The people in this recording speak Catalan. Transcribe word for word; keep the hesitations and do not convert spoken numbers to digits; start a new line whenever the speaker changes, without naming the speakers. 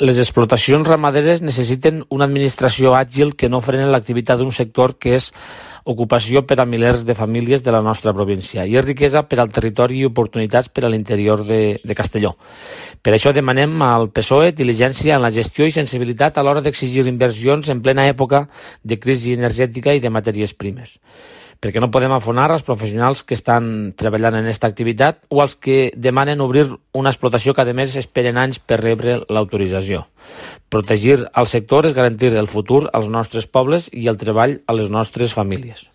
Les explotacions ramaderes necessiten una administració àgil que no freni l'activitat d'un sector que és ocupació per a milers de famílies de la nostra província i és riquesa per al territori i oportunitats per a l'interior de, de Castelló. Per això demanem al P S O E diligència en la gestió i sensibilitat a l'hora d'exigir inversions en plena època de crisi energètica i de matèries primes, perquè no podem afonar els professionals que estan treballant en aquesta activitat o els que demanen obrir una explotació que a més esperen anys per rebre l'autorització. Protegir el sector és garantir el futur als nostres pobles i el treball a les nostres famílies.